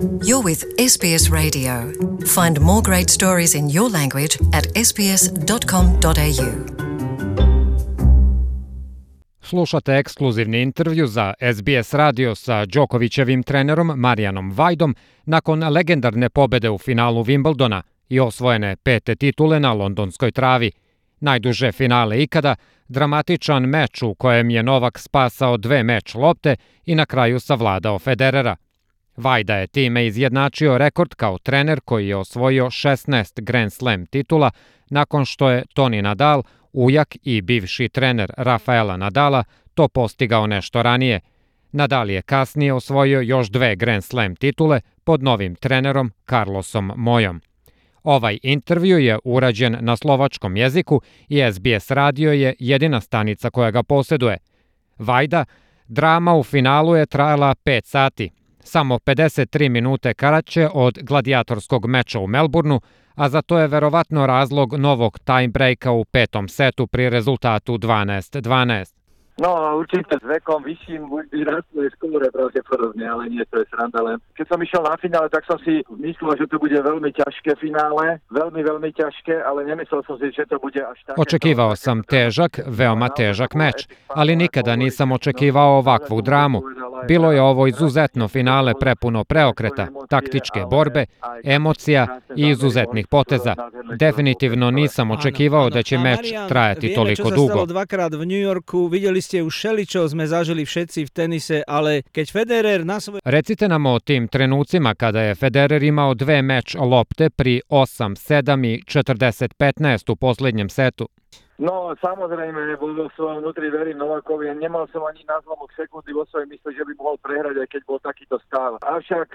You're with SBS Radio. Find more great stories in your language at sbs.com.au. Slušate ekskluzivni intervju za SBS radio sa Đokovićevim trenerom Marijanom Vajdom nakon legendarne pobede u finalu Wimbledona i osvojene 5. titule na londonskoj travi. Najduže finale ikada, dramatičan meč u kojem je Novak spasao 2 meč lopte i na kraju savladao Federera. Vajda je time izjednačio rekord kao trener koji je osvojio 16 Grand Slam titula nakon što je Toni Nadal, ujak i bivši trener Rafaela Nadala, to postigao nešto ranije. Nadal je kasnije osvojio još 2 Grand Slam titule pod novim trenerom Carlosom Mojom. Ovaj intervju je urađen na slovačkom jeziku i SBS radio je jedina stanica koja ga posjeduje. Vajda, drama u finalu je trajala 5 sati. Samo 53 minute kraće od gladijatorskog meča u Melbourneu, a za to je verovatno razlog novog tiebreaka u 5. setu pri rezultatu 12-12. No, určite s vekom vyšším vždy rastú skóre pravdepodobne, ale nie, to je sranda len. Keď som išiel na finále, tak som si myslel, že to bude veľmi ťažké finále, veľmi ťažké, ale nemyslel som si, že to bude až také. Očekivao sam težak, veoma težak meč, ali nikada nisam očekivao ovakvu dramu. Bilo je ovo izuzetno finale prepuno preokreta, taktičke borbe, emocija i izuzetnih poteza. Definitivno nisam očekivao da će meč trajati toliko dugo. Vieme, čo sa stalo dvakrát v New Yorku, videli ste už všeličo, sme zažili všetci v tenise, ale keď Federer na svoje... Recite nam o tim trenucima kada je Federer imao 2 meč lopte pri 8-7 i 40-15 u posljednjem setu. No, samozrejme, vo svojom vnútri verím Novakovi. Nemal som ani na zlomok sekundy vo svojej mysle, že by mohol prehrať, aj keď bol takýto stav. Avšak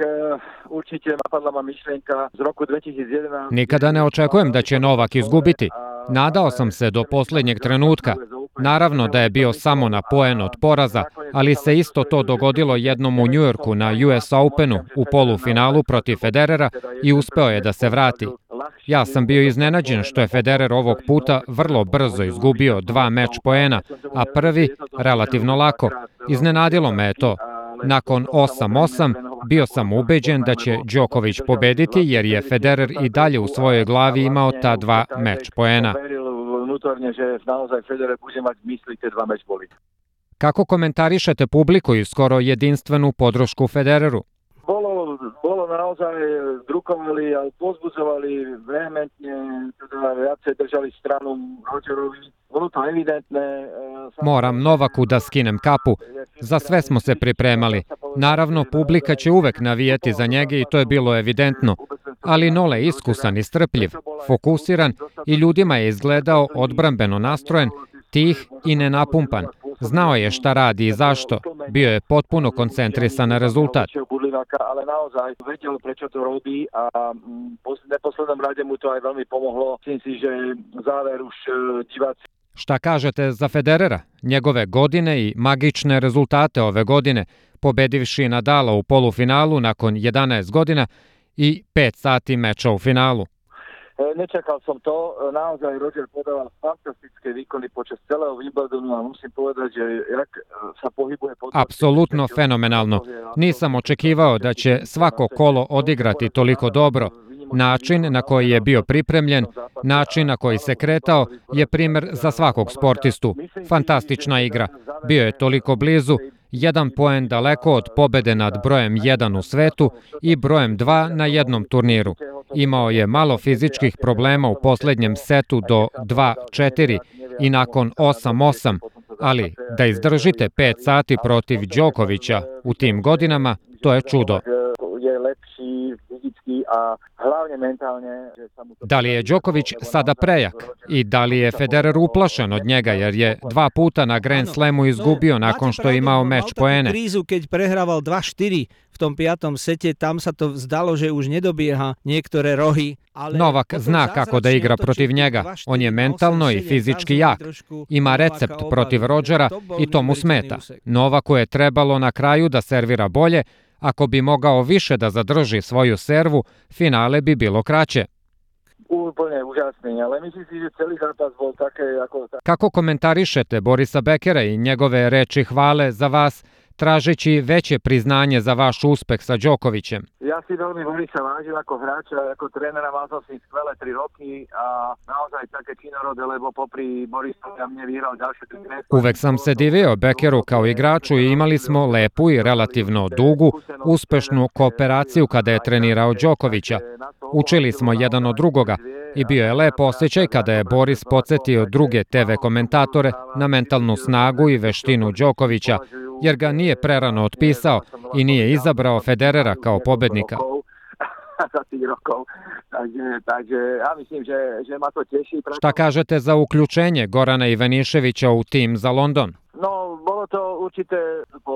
určite napadla ma myšlienka z roku 2011. Nikada ne očekujem da će Novak izgubiti. Nadao sam se do posljednjeg trenutka. Naravno da je bio samo na poen od poraza, ali se isto to dogodilo jednom u New Yorku na US Openu u polufinalu protiv Federera i uspeo je da se vrati. Ja sam bio iznenađen što je Federer ovog puta vrlo brzo izgubio 2 meč poena, a prvi relativno lako. Iznenadilo me je to. Nakon 8-8 bio sam ubeđen da će Đoković pobediti jer je Federer i dalje u svojoj glavi imao ta 2 meč poena. Kako komentarišete publiku i skoro jedinstvenu podršku Federeru? Bolo naozaj drukovali, ali pozbudzovali vehementne, teda viacej držali stranu Rogerovi. Bolo to evidentne. Moram Novaku da skinem kapu. Za sve smo se pripremali. Naravno, publika će uvek navijeti za njega i to je bilo evidentno. Ali Nole je iskusan i strpljiv, fokusiran i ljudima je izgledao odbrambeno nastrojen, tih i nenapumpan. Znao je šta radi i zašto. Bio je potpuno koncentrisan na rezultat. Ale naozaj vedel, prečo to robí a v neposlednom rade mu to aj veľmi pomohlo. Myslím si, že záver už diváci. Šta kažete za Federera, njegove godine i magične rezultate ove godine, pobedivši Nadala u polufinalu nakon 11 godina i 5 sati meča u finalu? Nečakal som to, naozaj Roger podával fantastické výkony počas celého Wimbledonu a musím povedať, že jak sa pohybuje... Apsolutno fenomenalno. Nisam očekivao da će svako kolo odigrati toliko dobro. Način na koji je bio pripremljen, način na koji se kretao je primjer za svakog sportistu. Fantastična igra. Bio je toliko blizu, 1 poen daleko od pobede nad brojem 1 u svetu i brojem 2 na jednom turniru. Imao je malo fizičkih problema u posljednjem setu do 2-4 i nakon 8-8, ali da izdržite 5 sati protiv Đokovića u tim godinama, to je čudo. Da li je Đoković sada prejak i da li je Federer uplašen od njega jer je 2 puta na Grand Slamu izgubio nakon što je imao meč poene? Krízu, keď prehraval 2-4 v tom 5. sete, tam sa to zdalo, že už nedobieha niektoré rohy. Novak zna kako da igra protiv njega. On je mentalno i fizički jak. Ima recept protiv Rogera i to mu smeta. Novaku je trebalo na kraju da servira bolje. Ako bi mogao više da zadrži svoju servu, finale bi bilo kraće. Úplne úžasný, ale myslím si, že celý zápas bol také ako... Kako komentarišete Borisa Bekera i njegove reči hvale za vas, tražeći veće priznanje za vaš uspeh sa Đokovićem. Ja si veľmi Borisa vážim ako hráča, ako trénera, mal som s ním skvelé 3 roky a naozaj také činorode, lebo popri Borisovi a mne vyhral ďalšie 3 mesta. Uvek sam se divio Bekeru kao igraču i imali smo lepu i relativno dugu, uspešnu kooperaciju kada je trenirao Đokovića. Učili smo jedan od drugoga i bio je lep osjećaj kada je Boris podsjetio druge TV komentatore na mentalnu snagu i veštinu Đokovića, jer ga nije prerano otpisao i nije izabrao Federera kao pobednika. Šta kažete za uključenje Gorana Ivaniševića u tim za London? No, bolo to určite po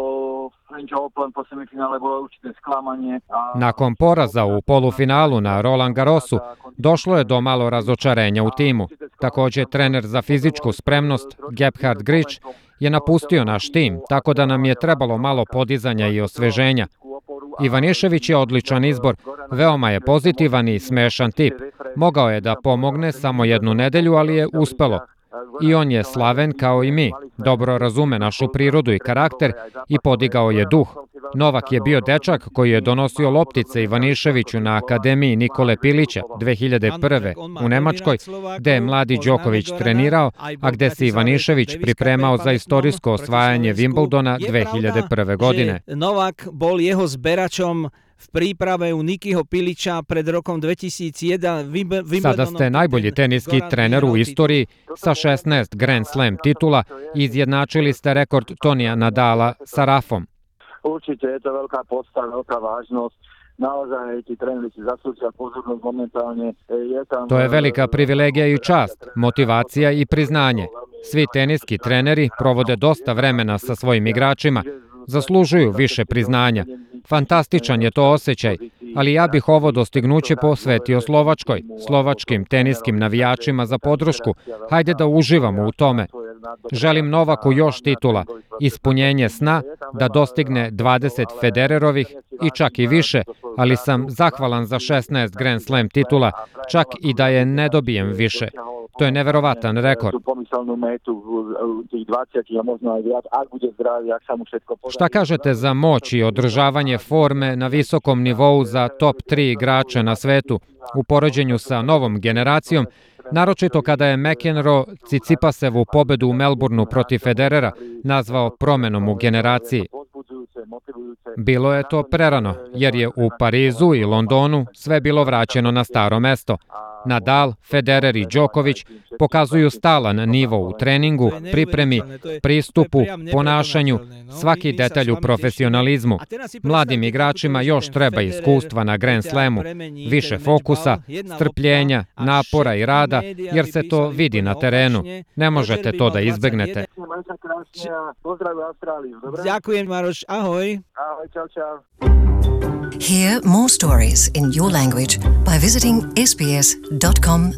French Open, po semifinále bolo určite sklamanie. Nakon poraza u polufinalu na Roland Garrosu došlo je do malo razočarenja u timu. Također trener za fizičku spremnost Gebhard Grič je napustio naš tim, tako da nam je trebalo malo podizanja i osveženja. Ivanišević je odličan izbor, veoma je pozitivan i smešan tip. Mogao je da pomogne samo jednu nedelju, ali je uspelo. I on je slaven kao i mi, dobro razume našu prirodu i karakter i podigao je duh. Novak je bio dečak koji je donosio loptice Ivaniševiću na Akademiji Nikole Pilića 2001. u Nemačkoj, gde je mladi Đoković trenirao, a gde se Ivanišević pripremao za istorijsko osvajanje Wimbledona 2001. godine. Novak bol jeho zberačom v príprave u Nikiho Pilića pred rokom 2001. Sada ste najbolji teniski trener u istoriji sa 16 Grand Slam titula i izjednačili ste rekord Tonija Nadala sa Rafom. Určite je to veľká podsta, veľká vážnosť. Naozaj ti treneri si zaslúžia pozornosť momentálne. To je velika privilegija i čast, motivacija i priznanje. Svi teniski treneri provode dosta vremena sa svojim igračima, zaslužuju više priznanja. Fantastičan je to osjećaj, ali ja bih ovo dostignuće posvetio Slovačkoj, slovačkim teniskim navijačima za podršku. Hajde da uživamo u tome. Želim Novaku još titula, ispunjenje sna da dostigne 20 Federerovih i čak i više, ali sam zahvalan za 16 Grand Slam titula, čak i da je ne dobijem više. To je neverovatan rekord. Šta kažete za moć i održavanje forme na visokom nivou za top 3 igrača na svetu u poređenju sa novom generacijom, naročito kada je McEnroe Tsitsipasevu pobedu u Melbourneu protiv Federera nazvao promenom u generaciji? Bilo je to prerano, jer je u Parizu i Londonu sve bilo vraćeno na staro mesto. Nadal, Federer i Đoković pokazuju stalan nivo u treningu, pripremi, pristupu, ponašanju, svaki detalj u profesionalizmu. Mladim igračima još treba iskustva na Grand Slamu, više fokusa, strpljenja, napora i rada, jer se to vidi na terenu. Ne možete to da izbegnete. Ďakujem, Maroš. Ahoj. Ahoj, čau, čau. Hear more stories in your language by visiting sbs.com.au.